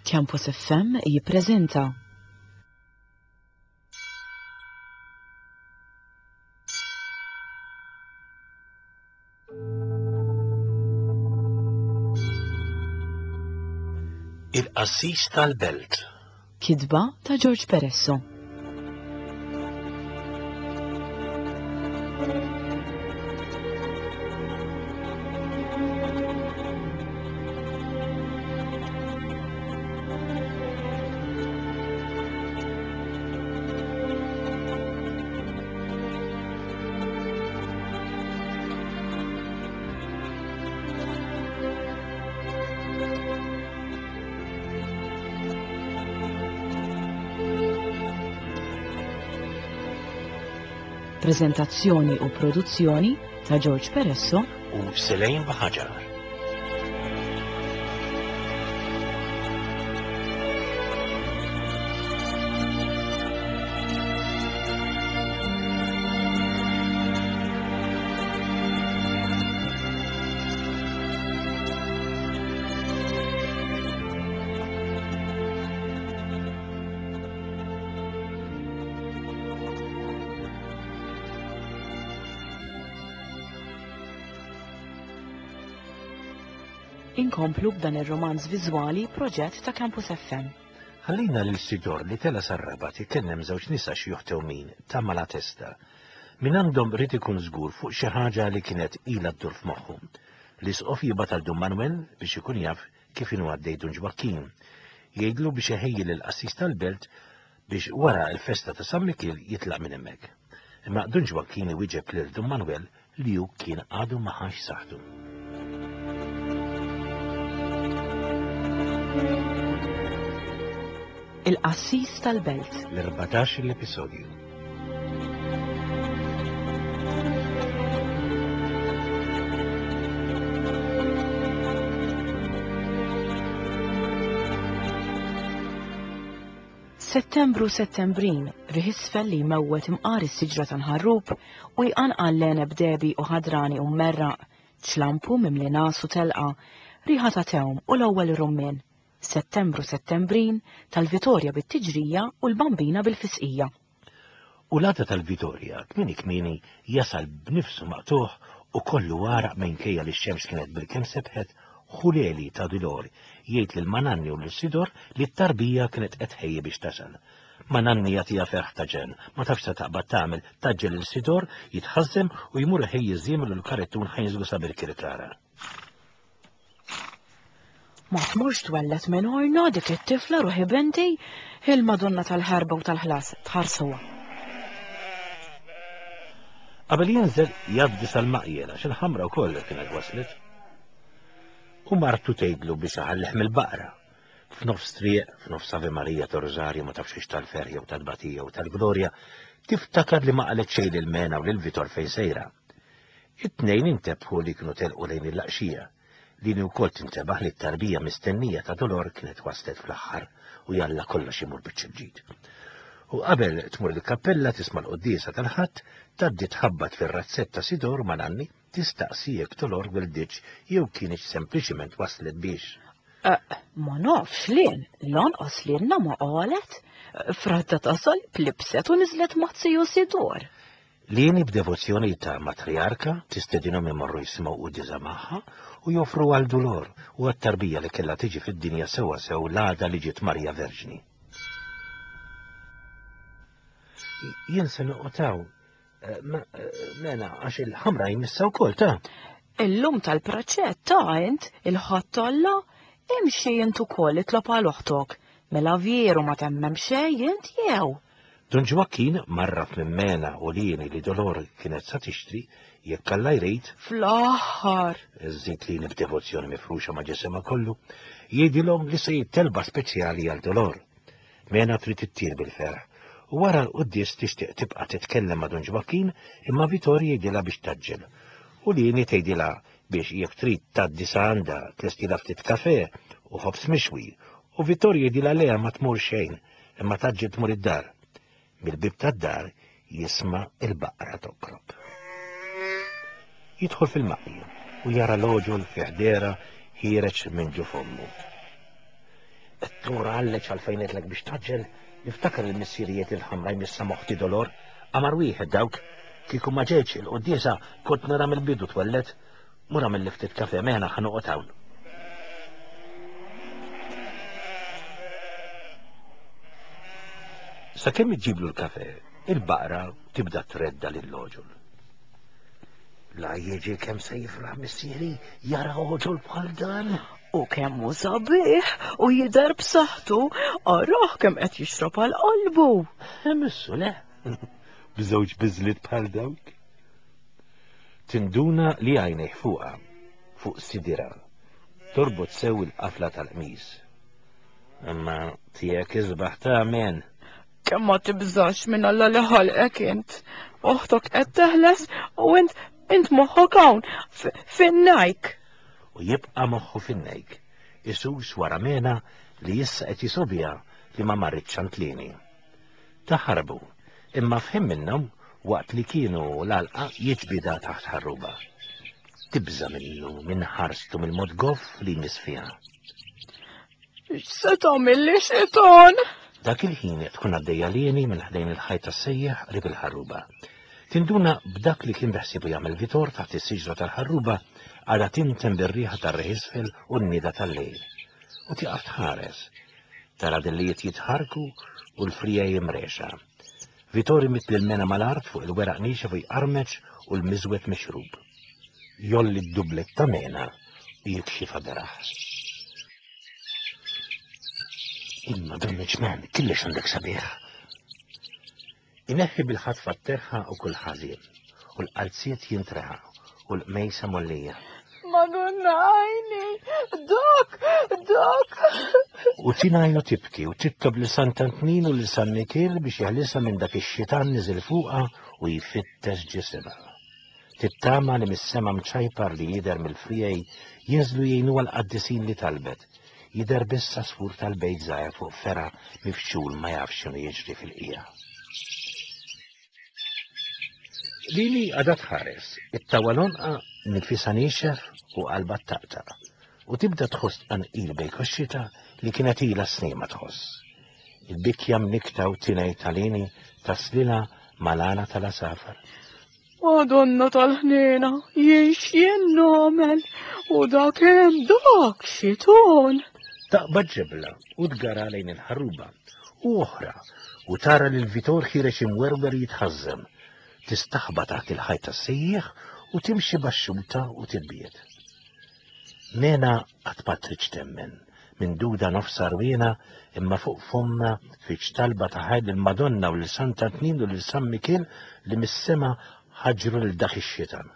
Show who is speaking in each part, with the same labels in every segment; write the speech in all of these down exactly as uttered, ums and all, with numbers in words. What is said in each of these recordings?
Speaker 1: Campus F M jippreżenta
Speaker 2: Il-Qassis tal-Belt.
Speaker 1: Kitba ta' George Peresso. Prezentazzjoni u produzzjoni ta' George Peresso
Speaker 2: u Selene Baħaġar.
Speaker 1: Inkomplu b'dan ir-romanz viżwali proġett ta' Campus F M.
Speaker 2: Ħallina lil Sidor li tela sar-Rabat ikellem żewġ nisa xi juħtewmin ta' Malatesta. Min għandhom rid ikun żgur fuq xi ħaġa li kienet ilha ddur f'moħħu. L-isqof jibgħat għal Dun Manuel biex ikun jaf kif inhu għaddej Dun Ġwakkin. Jgħidlu biex iħejji lill-qassis tal-belt biex wara l-festa ta' San Mikiel jitlaq minn hemmhekk. Imma Dun Ġwakkin iwieġeb lil Dun Manuel li hu kien għadu ma ħax saħħtu.
Speaker 1: Il-Qassis tal-Belt.
Speaker 2: L-erbatax l-episodju.
Speaker 1: Settembru settembrin, riħ isfel li jmewwet imqar is-siġra tal-ħarrub u jqanqal l-għeneb dehbi u ħadrani u mmerraq, ċlampu mimli nas u telqa, riħa ta' tewm u l-ewwel rummien. Settembru settembrin, tal-Vitorja bit-tiġrija u l-Bambina bil-fisqija.
Speaker 2: U l-għada tal-Vitorja, kmieni kmieni, jasal b'nifsu maqtuħ u kollu għaraq minkejja li x-xemx kienet bil-kemm sebħet, ħuleli ta' Dolor jgħid lil Mananni u lil Sidor li t-tarbija kienet qed tħejji biex tasal. Mananni jagħtiha ferħ ta' ġenn, ma tafx ta' taqbad tagħmel, taġġel lil Sidor jitħażżem u jmur iħejji ż-żiemel u l-karettun ħajnżlu sa Birkirkara.
Speaker 1: Ma tmurx twellet minn orna dik it-tifla ruħi binti, il-Madonna tal-ħerba u tal-ħlas tħarsuha.
Speaker 2: Qabel jinżel jgħaddi sal-maqjel għax il-ħamra wkoll kienet waslet. U martu tgħidlu biex iħallih mill-baqra. F'nofs triq, f'nofs Ave Maria ta' Rosario ma tafx hix tal-ferħ jew tal-batija u tal-glorja, tiftakar li ma qalet xejn lil Mena u lil Vitor fejn sejra. It-tnejn intebħu li kienu telqu lejn il-laqxija. Lini wkoll tintebaħ li t-tarbija mistennija ta' Dolor kienet waslet fl-aħħar u jalla kollox imur biċ-ċirġid. U qabel tmur il-kappella tisma' l-quddiesa tal-Ħadd, tgħaddi tħabbat fir-razzett ta' Sidor ma' Nanni tistaqsi jekk Dolor wilditx jew kienx sempliċiment waslet biex.
Speaker 1: Eh, ma nafx lien, lanqas lilna ma qalet. Fradda tasal plibset u niżlet ma' tiju Sidor.
Speaker 2: Lini b'devozzjoni ta' matriarka tistedinhom imorru jisimgħu quddiesa magħha u joffru għal Dolor u għat-tarbija li kellha tiġi fid-dinja sewwa sew l-għada li ġiet Marija Verġni. Jien se noqgħod hawn, eh, ma, eh, mena għax il-ħamra jmissa wkoll ta'.
Speaker 1: Illum tal-praċett ta' int il-Ħadd Alla imxi int ukoll itlob għal oħtok. Mela veru ma temmem xejn int jew.
Speaker 2: Dun Ġwakkin marraf minn Mena u Lini li Dolor kienet sa tixtri jekk Alla jrid.
Speaker 1: Fl-aħħar.
Speaker 2: Żid Lini b'devozzjoni mifruxa ma' ġisimha kollu, jgħidilhom li se jittelba speċjali għal Dolor. Mena trid ittir bil-ferħ. U wara l-quddies tixtieq tibqa' titkellem ma' Dun Ġwakkin imma Vitor jgħidilha biex taġġel. U Lini tgħidilha biex jekk trid tgħaddi sa għandha tlestilha ftit kafe u ħobż mixwi. U Vitor jgħidilha leha ma tmur xejn imma taġġel tmur id-dar. Mill-bib tad-dar jisma' il-baqra tokrob. Jidħol fil-maqja u jara l-oġol fi ħdera ħiereġ minn ġo fommu. Tmur għalleċ għalfejn għedtlek biex taġġel, niftakar il-missirijiet il-ħamra jmissa moħti dolor, qamar wieħed dawk, kieku ma ġejtx il-quddiesa kont nara mill-bidu twellet, mura mill-ftit kafe meħna ħa noqgħod hawn. Sakemm iġġiblu l-kafe, il-baqra tibda tredda lill-oġol. La jiġi kemm se jifraħ missieri jara oġol bħal dan.
Speaker 1: U kemm hu sabiħ u jidher b'saħħtu, arah kemm qed jixrob għal qalbu.
Speaker 2: Missu le, b'żewġ biżliet bħal dawk. Tinduna li għajnejh fuqha, fuq sidira, torbot sew il-qafla tal-qmis. Imma tiegħek isbaħ ta' men.
Speaker 1: Kemm ma tibżax minn Alla li ħalqek int. Oħtok qed teħles u int int moħħok hawn fin-najk.
Speaker 2: U jibqa' moħħu fin-nejk, isus wara Mena li issa qed jisobja li ma marritx għand Lini. Taħarbu, imma fħim minnhom waqt li kienu l-għalqa jiġbida taħt ħarruba. Tibża minnu minn ħarstu mill-mod goff li jmiss fiha.
Speaker 1: X'se tagħmilli xitan?
Speaker 2: Dak il-ħin tkun għaddejja Lini minn ħdejn il-ħajt tas-sejjaħ qrib il-ħarruba. Tinduna b'dak li kien beħsiebu jagħmel Vitor taħt is-siġra tal-ħarruba għadha tinten bir-riħa tar-reħisfel u n-nida tal-lejl. U tieqaf tħares. Tara dillijiet jitħarku u l-frija jimrexa. Vitor imitt lil Mena mal-art fuq il-weraq niexef u jqarmeċ u l-miżwet mixrub. Jolli d-dublet ta' Mena u jikxifa beraħ. Imma dan il-ġnan kellix għandek sabiħ. Ineħħi bil-ħatfa t-terħa u kull ħażin, u l-qalziet jintreħa u l-qmejsa mollija.
Speaker 1: Madonna għajni, dak, dak.
Speaker 2: U tingħajnu tibki u titlob lil Sant'Antnin u lil San Mikiel biex jeħlisha minn dak ix-xitan niżel fuqha u jfittex ġisimha. Tittama li mis-sema mċajpar li jidher mill-frijej jinżlu jgħinuha l-qaddisin li talbet. Jidher biss għasfur tal-bejt żgħir fuq fergħa mifxul ma jafx x'inhu jiġri fil-qija. Lili għadha tħares, it-tawalonqa nifisha niexef u qalbha taqtaq, u tibda tħoss tqanqil bejn koxxita li kienet ilha snin ma tħoss. Il-bikja mnikta u tinej tal-Lini taslilha mal-għana tal-asafar.
Speaker 1: Madonna tal-ħniena, jien x'jien nagħmel u dak hemm dak xiton.
Speaker 2: Taqbad ġebla u tgara lejn il-ħarruba u oħra u tara lil Vitor ħirex imwerwer jitħażżem. Tistaħba taħt il-ħajt tas-sejjieħ u timxi baxxuta u tibbiet. Mena qatt ma tridx temmen, minn duda nofs arwiena imma fuq fomma fiċ talba ta' ħajr lill-Madonna u lil Sant'Antnin u lil San Mikiel li mis-sema ħaġru lil dak ix-xitan.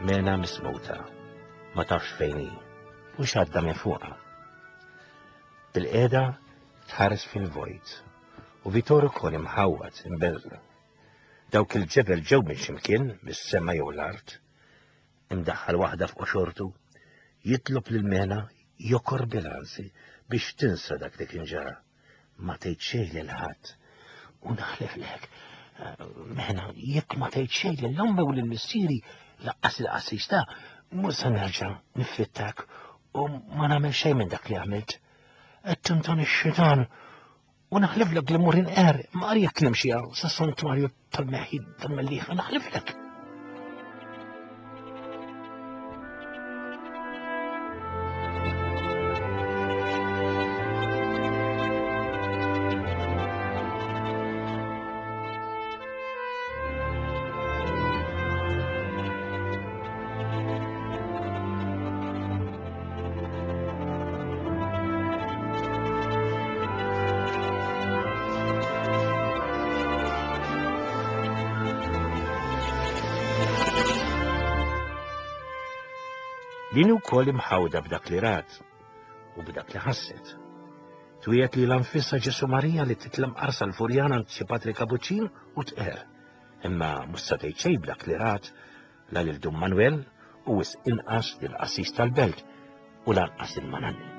Speaker 2: Mena mismuta, ma tafx fejn hi u x'għadda minn fuqha. Bil-qiegħda tħares fil-vojt u Vitor ukoll imħawwad imbeżla. Dawk il-ġebel ġew minn x'imkien, mis-sema jew l-art, imdaħħal waħda f'qoxortu, jitlob lil Mena jokor bil-ansi biex tinsa dak li kien ġara. Ma tgħid xejn lil ħadd. U naħliflek, Mena, jekk ma tgħid xejn lil ommi u lil missieri laqqas il-qassis ta' mhux se nerġa' nifittak u ma nagħmel xejn minn dak li għamilt. Qed tinton ix-xitan u naħliflek li mmur inqer, ma jekk nimxi sa santwarju tal-meħid tal-Mellieħa naħliflek. Din ukoll imħawda b'dak li rat u b'dak li ħasset. Twiet li l-anfissa Ġesu Marija li titlem qarsa l-Furjana għand xi Patri Kapuċċin u tqer. Imma mhux se tgħid xejn b'dak li rat la lil Dun Manuel u wisq inqas lill-qassis tal-belt u lanqas lil Mananni.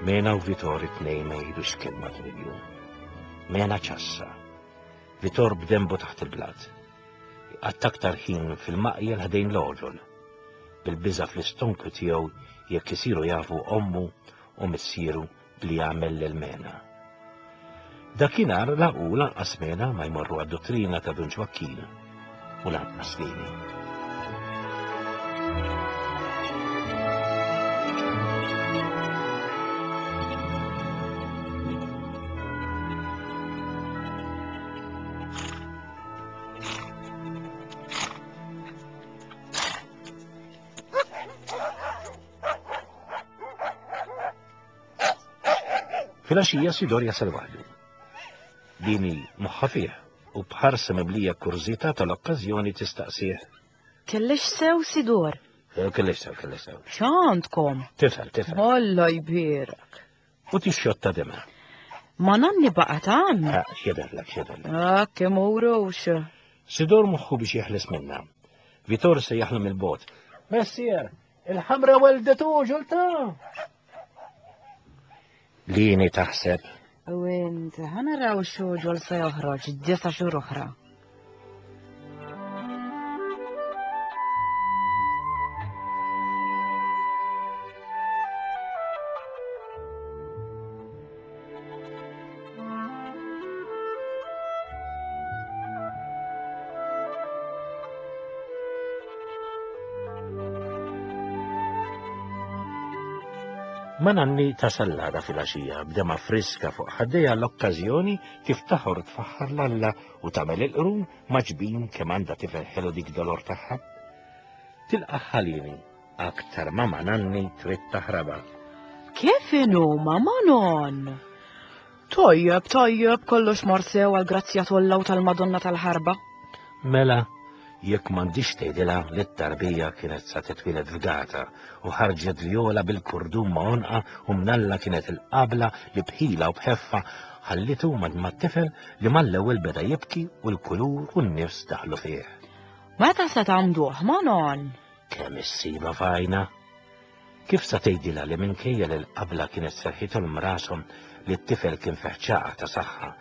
Speaker 2: Mena u Vitor it-tnejn ma jgħidux kelma tul il-jum. Mena ċassa. Vitor b'dembu taħt il-blat. Iqatta' aktar ħin fil-maqjel ħdejn l-għoġol. Bil-biża' fl-istonku tiegħu jekk isiru jafu ommu u missieru bli jagħmel lil Mena. Dakinhar la hu lanqas Mena ma jmorru għad-dottrina ta' Dun Ġwakkin u lanqas lili. Filgħaxija Sidor jasal waħdu. Dini moħħa fih u b'ħarsa mimlija kurżità tal-okkażjoni tistaqsih.
Speaker 1: Kellix sew, Sidor?
Speaker 2: Eh, kellix sew, kellix sew.
Speaker 1: X'għandkom?
Speaker 2: Tifel, tifel.
Speaker 1: Alla jbierek.
Speaker 2: U tixxotta dema.
Speaker 1: Ma nanni baqgħet għand.
Speaker 2: Ah, x'jidherlek, x'jidherlek.
Speaker 1: Ah, kemm urux.
Speaker 2: Sidor moħħu biex jeħles minna. Vitor se jaħlem il-bot. Messier, il-ħamra weldetu ġulta. Lini taħseb.
Speaker 1: U int, ħanaraw xogħol se joħroġ disa' xhur oħra.
Speaker 2: Ma nanni tasal l-għada fil-għaxija b'dema friska fuq ħaddejha l-okkażjoni tiftaħor tfaħħar l-Alla u tagħmel il-qrun maġbin kemm għandha tifel ħelu dik dolor tagħha. Tilqa' ħalini aktar ma ma nanni trid taħrabha.
Speaker 1: Kif inhu ma Manon? Tajjeb, tajjeb, kollox mar sew għall-grazzja t'Alla u tal-Madonna tal-ħarba.
Speaker 2: Mela, jekk m'għandix tgħidilha li t-tarbija kienet sa titwieled f'gata u ħarġet vjola bil-kurdum ma' għonqa u mnalla kienet il-qabla li bħila u bħeffa ħallitu mat-tifel li mal-ewwel beda jibki u l-kulur u n-nifs daħlu fih.
Speaker 1: Meta se tagħmduh, Manon?
Speaker 2: Kemm issiba fajna? Kif sa tgħidilha li minkejja li l-qabla kienet serħithom rashom li t-tifel kien feħċaqa ta' saħħa,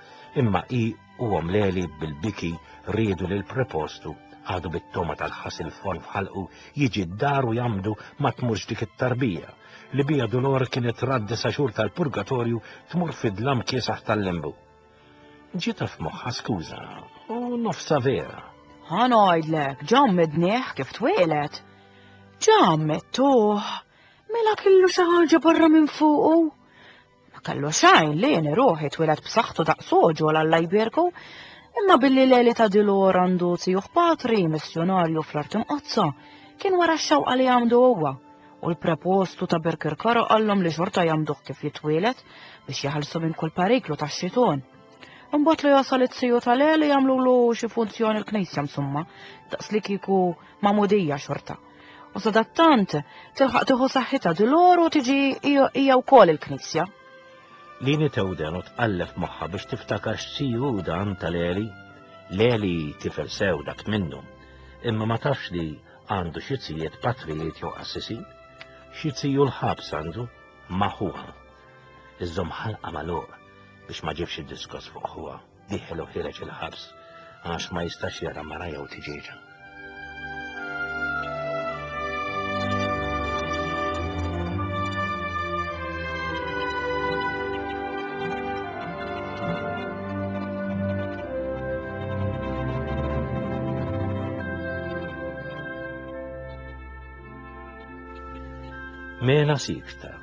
Speaker 2: imma hi u omleli bil-biki riedu lil prepostu għadu bit-toma tal-ħasil forn f'ħalqu jiġi d-dar u jamdu ma tmurx dik it-tarbija li bija Dolor kienet raddi sa xhur tal-purgatorju tmur fid-dlam kiesaħ tal-lembu. Ġieta f'moħħha skuża u nofsa vera.
Speaker 1: Ħa ngħidlek, ġammednieh kif twielet. Ġammedtuh, mela kellu xi ħaġa barra minn fuqu. Ma kellu xejn li jien ruħi twieled b'saħħtu daqs oġol Alla jbierku. Imma billi Leli ta' Dilor għandu tijuħ patri missjonarju fl-art imqazza, kien wara x-xewqa li għamdu huwa. U l-prepostu ta' Birkirkara qallhom li xorta jagħmduh kif jitwielet biex jaħalsu minn kull periklu tax-xiton. Imbagħad li jasal it-siju ta' Leli jagħmlulu xi funzjoni l-knisja msumma, daqs li kieku magħmudija xorta. U sadattant tilħaq tieħu saħħitha Dilor u tiġi hija wkoll il-knisja.
Speaker 2: Lini tewden u tqallef moħħa biex tiftakar x'siju dan ta' Leli. Leli tifel sew dak minnu, imma ma tafx li għandu xi zijiet patrijiet jew qassisin. Xi ziju l-ħabs għandu ma' ħuha. Iżżomm ħalqa magħluq biex ma ġibx id-diskors fuq ħuha. Dieħel u ħireġ il-ħabs għax ma jistax jara mara jew tiġieġa. Mena sikta,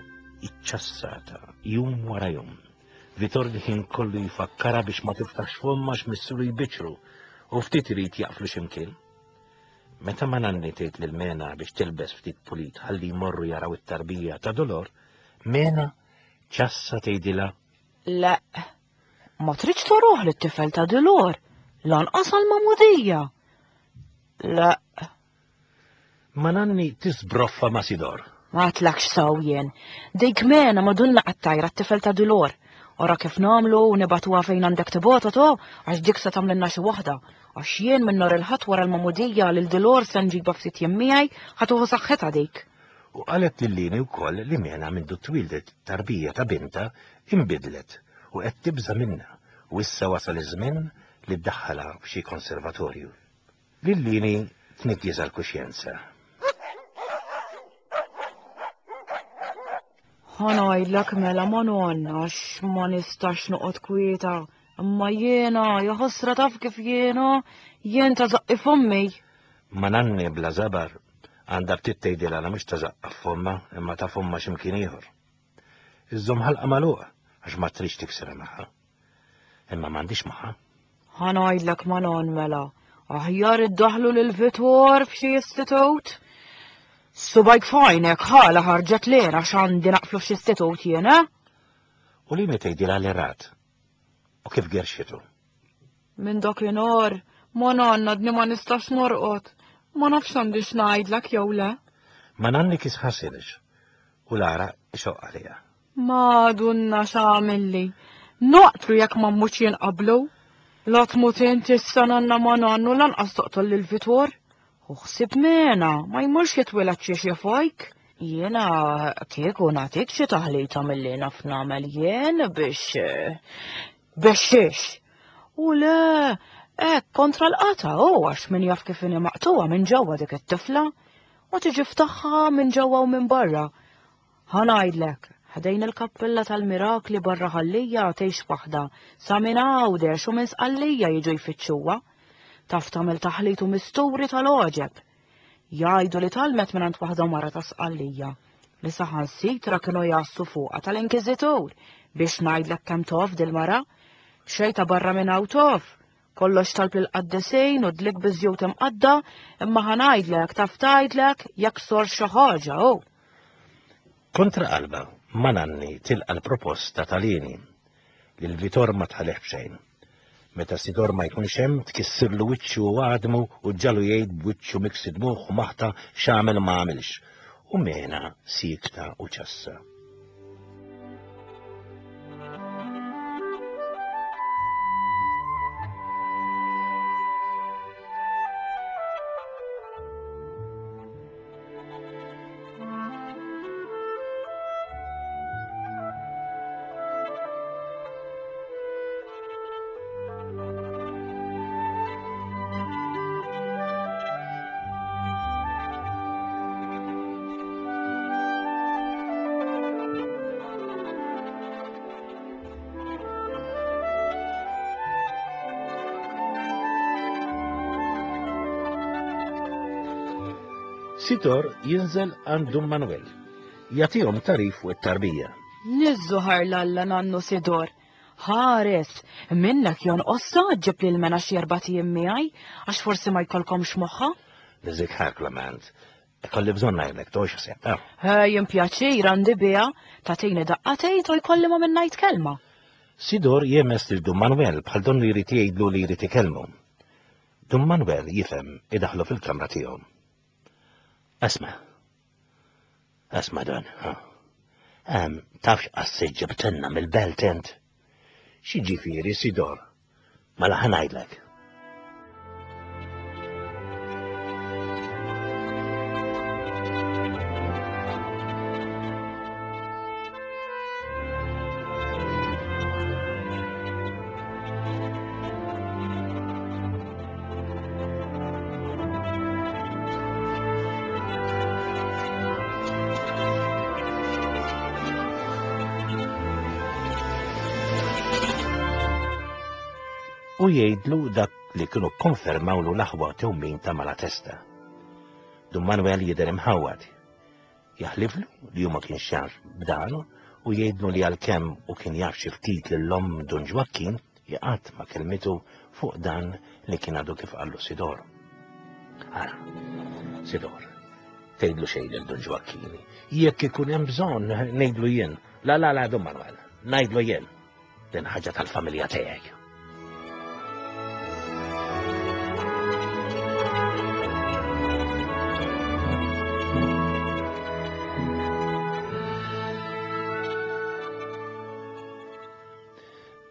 Speaker 2: iċċassata, jum wara jum. Vitor ħin kollu jfakkara biex ma tiftax fomma x'missuru jbiċru u ftit irid jaqflu x'imkien. Meta ma nanni tgħid lil Mena biex tilbes ftit pulit ħalli jmorru jaraw it-tarbija ta' Dolor, Mena ċassa tgħidilha:
Speaker 1: Le, ma tridx toruħ lit-tifel ta' Dolor, lanqas għall-magħmudija. La.
Speaker 2: Ma nanni tisbroffa ma Sidor.
Speaker 1: Ma tlakx saw jien. Dik mena madunna qattajra t-tifel ta' Dulor. Ora kif namlu u nibatuha fejn għandek tibota to, għax dik se tagħmlilna xi waħda. Għax jien minn nhar il-Ħadd wara l-magħmudija lil Dulor se nġibha ftit jiem miegħi ħa tuħu saħħitha dik.
Speaker 2: U qalet lil Lini wkoll li mena mindu twildet tarbija ta' binta imbidlet u qed tibża' minnha u issa wasal iż-żmien li ddaħħalha f'xi konservatorju. Lil Lini tniggieżha l-kuxjenza.
Speaker 1: Ħa ngħidlek mela ma nonna għax ma nistax noqgħod kwieta. Imma jiena, ja ħosra taf kif jiena, jien ta' żaqqi fommi.
Speaker 2: Ma nanni bla żabar għandha ftit tgħidilha la mhux ta' żaqqa f'fomma imma ta' fomma x'imkien ieħor. Iżżomm ħalqa magħluqa għax ma tridx tiksirha magħha. Imma m'għandix magħha.
Speaker 1: Ħa ngħidlek ma non mela, aħjar iddaħlu lil Vitor f'xi istitut. Subajk fajnek ħala ħarġet lera x'għandi naqflu f'xi istitut jien, eh?
Speaker 2: U li tgħidilha li rat. U kif gerxitu?
Speaker 1: Minn dakinhar, ma nanna dni ma nistax norqod. Ma nafx għandix ngħidlek jew le.
Speaker 2: Ma nanni kis ħasilx u Lara ixoq għalija.
Speaker 1: Madunna x'għamilli. Noqtlu jekk ma mmutx jien qablu. La tmut inti issa nanna ma nannu lanqas toqtol lil Vitor. U ħsib mena, ma jmurx jitwieled xi xi fojk. Jiena kieku nagħtik xi taħlita milli naf nagħmel jien biex biex xiex. U le, hekk kontra l-qata u għax min jaf kif inhi maqtuha minn ġewwa dik it-tifla u tiġi ftaħħa minn ġewwa u minn barra. Ħa ngħidlek, ħdejn il-kappella tal-Mirakli barra Ħallija tgħix waħda, sa minn Għawdex u minn Sqallija jiġu jfittxuha. Taf tagħmel taħlit u misturi tal-għoġeb. Jgħidu li talmet minn waħda mara ta' Sqallija li saħansitra kienu jassu fuqha tal-Inkiżitur biex ngħidlek kemm tof dil-mara, xejta barra minn hawn tof. Kollox talb lill-qaddisin u dlik biżjut imqadda, imma ħa ngħidlek taf tgħidlek jekk sor xi ħaġa hu.
Speaker 2: Kontra qalba, ma nanni tilqa l-proposta tal-Lini li l-Vitor ma tħalih b'xejn. Meta Sidor ma jkunx hemm tkissirlu wiċċu u għadmu u ġalu jgħid b'wiċċu miksi dmuħ u maħta x'għamel ma għamilx. U mena sikta u ċassa. Sidor jinżel għand Dun Manuel. Jagħtihom tarif u t-tarbija.
Speaker 1: Nizzuħar l-Alla nannu Sidor. Ħares, minnek jonqossa ġib lil mena xi erba' ijiem miegħi għax forsi ma jkollkomx moħħa.
Speaker 2: Niżik ħar Klement. Kolli bżonn ngħidlek tox ħsieb.
Speaker 1: Jien pjaċir għandi biha tagħtini daqqatejt u jkolli ma minn ngħid kelma.
Speaker 2: Sidor jemes lil Dun Manuel bħal donnu jrid jgħidlu li jrid ikellmu. Dun Manuel jifhem idaħlu fil-kamra tiegħu. Asma. Asma dan, ha. Em, tafx qassi ġibtenna mill-belt int. Xi ġifieri Sidor? Mela ħa ngħidlek. U jgħidlu dak li kienu konfermawlu l-aħwa tewmin ta' Malatesta. Dun Manuel jidher imħawwad. Jaħliflu li hu ma kienx jaf b'dan u jgħidlu li għalkemm u kien jaf xi ftit lil-omm Dun Ġwakkin qatt ma kelmitu fuq dan li kien għadu kif qallu Sidor. Ara, Sidor, tgħidlu xejn lil Dun Ġwakkini. Jekk ikun hemm bżonn ngħidlu jien. La la la Dun Manuel, ngħidlu jien. Din ħaġa tal-familja tiegħi.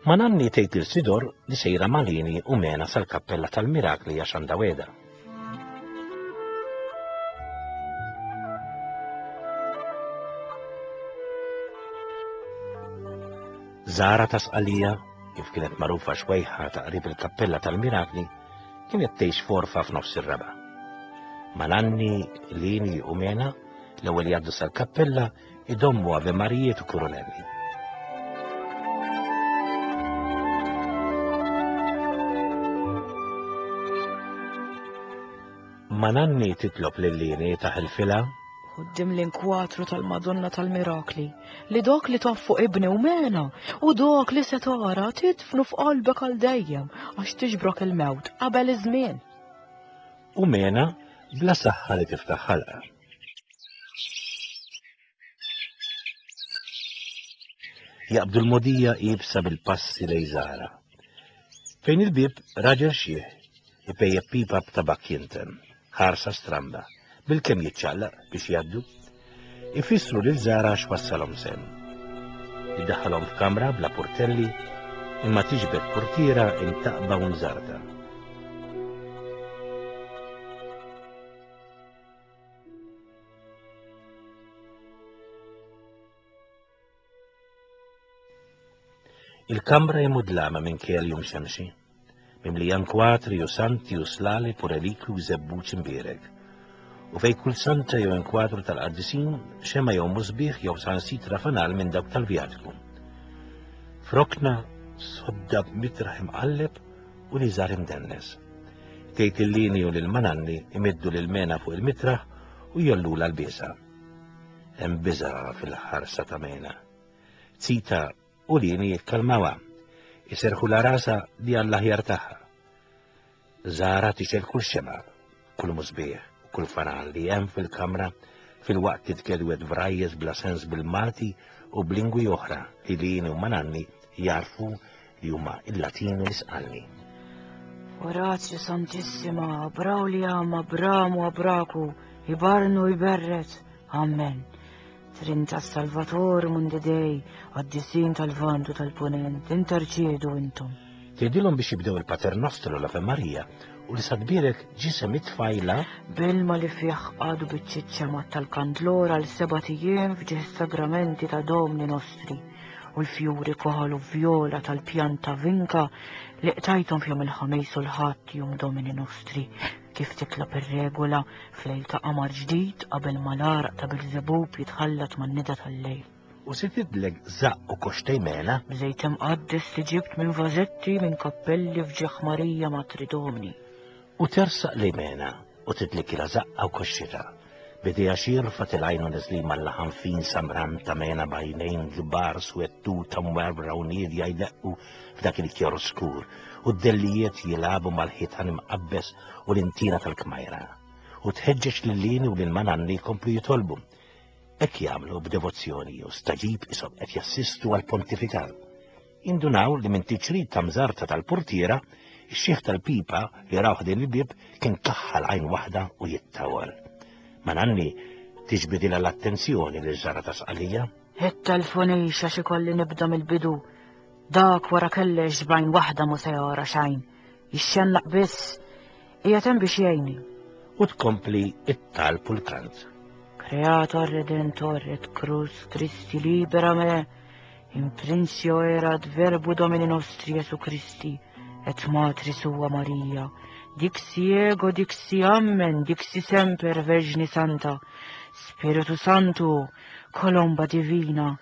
Speaker 2: Mananni tgħid lil Sidor li sejra Malini u Mena sal-Kappella tal-Mirakli għax għandha wegħda. Zara ta' Sqalija, kif kienet magħrufa xwejħa ta' qrib il-Kappella tal-Mirakli, kienet tgħix forfa f'nofs ir-raba'. Mananni, Lini u Mena l-ewwel jgħaddu sal-kappella idommu Ave Marijiet u Kurunelli. Mananni titlob lil Lini taħilfilha
Speaker 1: Quddiem l-inkwatru tal-Madonna tal-Mirakli, li dok li taf fuq ibni u Mena, u dok li se tara tidfnu f'qalbek għal dejjem għax tiġbrok il-mewt qabel iż-żmien.
Speaker 2: U Mena bla saħħa li tiftaħ ħalqa. Jaqbdu l-modija iebsa bil-passi lejn Zara. Fejn il-bieb raġel xieħ ipejjep pipa b'tabak jinten, ħarsa stramba, bil-kemm jiċċaqlaq biex jgħaddu, ifissru lil Zara x'wassalhom sem. Iddaħħalhom f'kamra bla portelli, imma tiġbed portiera imtaqba u mżarta. Il-kamra hi mudlama minn kell jum xemxi, mimlija nkwatri u santi u slali u relikwi u żebbuġ imbierek. U fej kull santa jew inkwatru tal-qaddisin xema jew musbieħ jew sansitra fanal minn dawk tal-vjatku. Frokna sodda b'mitraħ imqalleb u li żar imdennes. Tgħid il-Lini u lil Mananni imiddu lil Mena fuq il-mitraħ u jollula l-biesa. Hemm biża' fil-ħarsa ta' Mena. Zita u Lini jikkalmawha, iserħu la rasa li għall-aħjar tagħha. Zara tixel kull xema, kull musbieħ, kull fanal li hemm fil-kamra fil-waqt titkedwet vrajjes bla sens bil-Malti u b'lingwi oħra li Lini u Mananni jarfu li huma il-Latin u l-Isqalli.
Speaker 1: Orazio Santissima, Abrauliam, Abramu, Abraku, Ibarnu, Iberret, Amen. Trinta Salvator Mundi Dei, Qaddisin tal-Lvant u tal-Punent, interċedu intom.
Speaker 2: Tgħidilhom biex jibdew il-Pater Nostru l-Ave Maria u li sadbirek ġisem it-tfajla
Speaker 1: Bilma li fih għadu biċ-ċiċċa mat tal-kandlora għal sebat ijiem f'ġieħ sagramenti ta' Domni Nostri u l-fjuri koħol u vjola tal-pjanta vinka li qtajthom f'jum il-Ħamis u l-Ħadd jum Domini Nostri, kif titlob ir-regola f'lejl ta' qamar ġdid qabel ma l-għaraq ta' Bilżebub jitħallat man-nida tal-lejl.
Speaker 2: U se tidlek żaqq u koxtej Mena
Speaker 1: B'żejt imqaddes li ġibt minn vażetti minn kappelli f'ġieħ Marija Matri Domni.
Speaker 2: U tersaq li Mena u tidlikilha żaqqa u koxxitha. Bidejha xirfa tilgħajn u neżlin mal-laħam fin samran ta' Mena b'għajnejn kbar swettuta mwerwra u niedja jdeqqu f'dak il-kjor skur u d-dellijiet jilagħbu mal-ħitan imqabbes u l-intina tal-kmajra. U tħeġġeġ lil Lini u lil Mananni jkomplu jitolbu. Hekk jagħmlu b'devozzjoni u staġib isom qed jassistu għall-pontifikal. Indunaw li minn tiċrid ta' mżarta tal-portiera, ix-xieħ tal-pipa li rawh din il-bieb kien kaħħal għajn waħda u jittawal. Mananni tiġbidilha l-attenzjoni lil Zara ta' Sqalija.
Speaker 1: It-telefonix għax ikolli nibda mill-bidu. Dak wara kellex b'għajn waħda mhu se jara xejn. Jixxennaq biss, qiegħed hemm biex jgħinni.
Speaker 2: U tkompli it-talb u l-kant.
Speaker 1: Creator Redentor et Cruz Christi libera me, in principio erat verbo Domini nostri Jesu Christi, et Matri sua Maria. Dixi ego, dixi amen, dixi semper Vergini Santa, Spiritu Santo, Colomba Divina,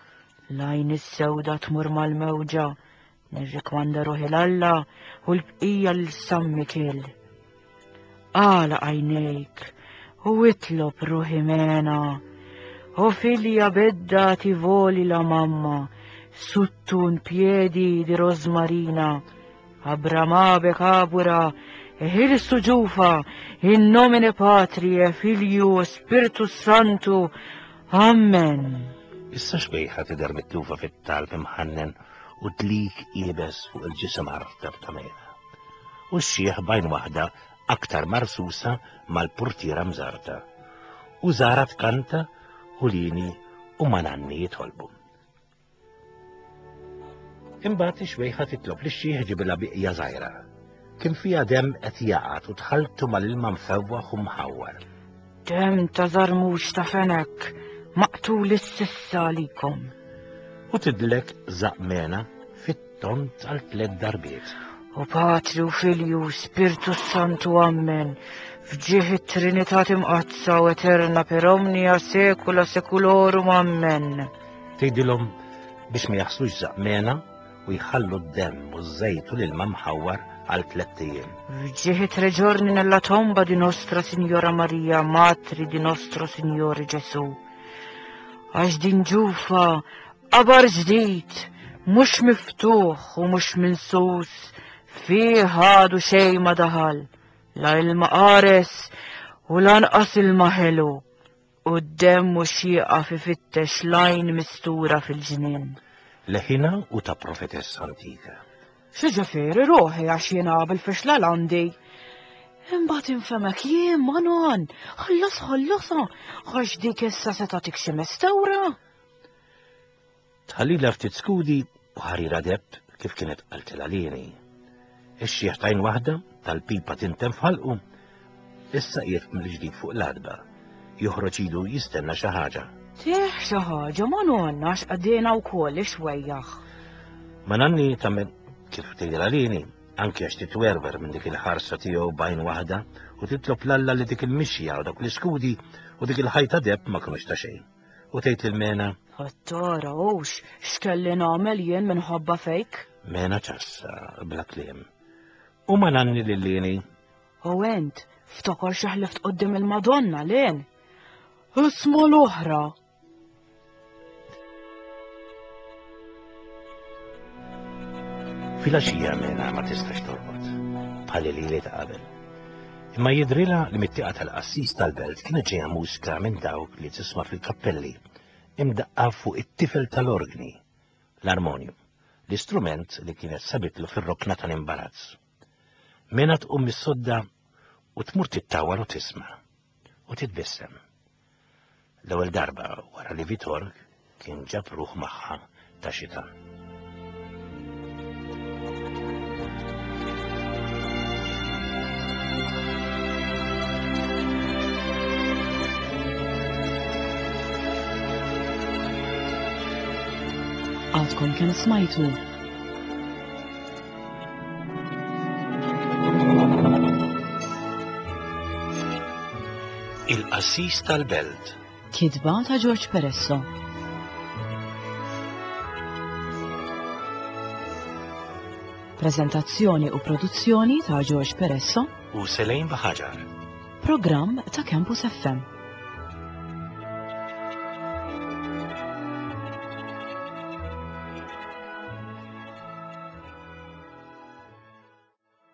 Speaker 1: l-għajn is-sewda tmur mal-mewġa, nirrikmanda ruħi l-Alla u l-bqija lil San Mikiel. Għala għajnejk u itlob ruħi Mena, o figlia bedda ti voli la mamma, sotto un piedi di rosmarina, abramabe cabura, e ħilsu ġufa, in nomine Patri e Filio e Spiritus Santo. Amen.
Speaker 2: Issa xbejħa tidher mitlufa fit-talb imħannen u dlik iebes fuq il-ġisem artab ta' Mena. U x-xieħ bajn waħda aktar marsusa mal-portiera mżarta. U Zara tkanta u Lini u Mananni jitolbu. Imbagħad ix-xwejħa titlob lix-xiħ ġibilha biqja żgħira. Kien fiha demm qed jaqgħad u tħalltu mal-ilma mfewwaħ u mħawwar.
Speaker 1: Demm ta' żarmux ta' fenek, maqtul is-sissa għalikom.
Speaker 2: U tidlek żaqmena fit-tont għal tliet darbiet.
Speaker 1: U Patri u Filju, Spirtu Santu, Ammen. F'ġieħ it-Trinità Imqaddsa u Eterna per omnia saecula saeculorum, Ammen.
Speaker 2: Tgħidilhom biex ma jaħslux żaqmena u jħallu d-demm u ż-żejt u l-ilma mħawwar għal tlett ijiem.
Speaker 1: F'ġieħ tre giorni nella tomba di Nostra Signora Maria, Matri di Nostro Signore Gesù. Għax din ġufa qabar ġdid, mhux miftuħ u mhux minsus, fih għadu xejn ma daħal, la ilma qares u lanqas ilma ħelu, u d-demm mhux jieqaf ifittex lajn mistura fil-ġnien.
Speaker 2: Leħina u ta' profetessa antika.
Speaker 1: X'ġifieri ruħi għax jiena bil-fixla l-għandi. Imbagħad infemek jien Manon, ħallas ħallasha, għax dik issa se tagħtik xi mestewra.
Speaker 2: Tħallilha ftit skudi u ħarira deb kif kienet qaltilha lini. Ix-xiħ tajn waħda tal-pipa tintem f'ħalqu. Issa qiegħed mill-ġdid fuq l-adba. Joħroġ idu jistenna xi ħaġa.
Speaker 1: Tieħ xi ħaġa Manon għax qegħdina wkoll ixwejjaħ.
Speaker 2: Ma nanni tagħmel kif tgħidilha lini, anke għax titwerwer minn dik il-ħarsa tiegħu b'għajn waħda u titlob l-Alla li dik il-mixja u dak l-iskudi u dik il-ħajta deb ma kinux ta' xejn. U tgħid lil Mena.
Speaker 1: Ħattara hux x'kelli nagħmel jien minħabba fejk?
Speaker 2: Mena ċassa bla kliem. U ma nanni lil Lini.
Speaker 1: U ent ftakar xi ħlift quddiem il-Madonna lejn. Isma' l-oħra.
Speaker 2: Filgħaxija Mena ma tistax torqod, bħal li ta' qabel. Imma jidrilha li mit-tieqa tal-qassis tal-belt kienet ġejja mużika minn dawk li tisma' fil-kappelli, imdaqqa fuq it-tifel tal-orgni, l-armonium, l-istrument li kienet sabitlu fir-rokna tal-imbarazz. Mena tqum mis-sodda u tmur tittawar u tisma' u titbissem. L-ewwel darba wara li Vitor kien ġab ruħ magħha ta' xitan.
Speaker 1: Għadkom kemm smajtu
Speaker 2: Il-Qassis tal-Belt.
Speaker 1: Kitba ta' George Peresso. Prezentazzjoni u produzzjoni ta' George Peresso
Speaker 2: u Selejn Baħaġar.
Speaker 1: Programm ta' Campus F M.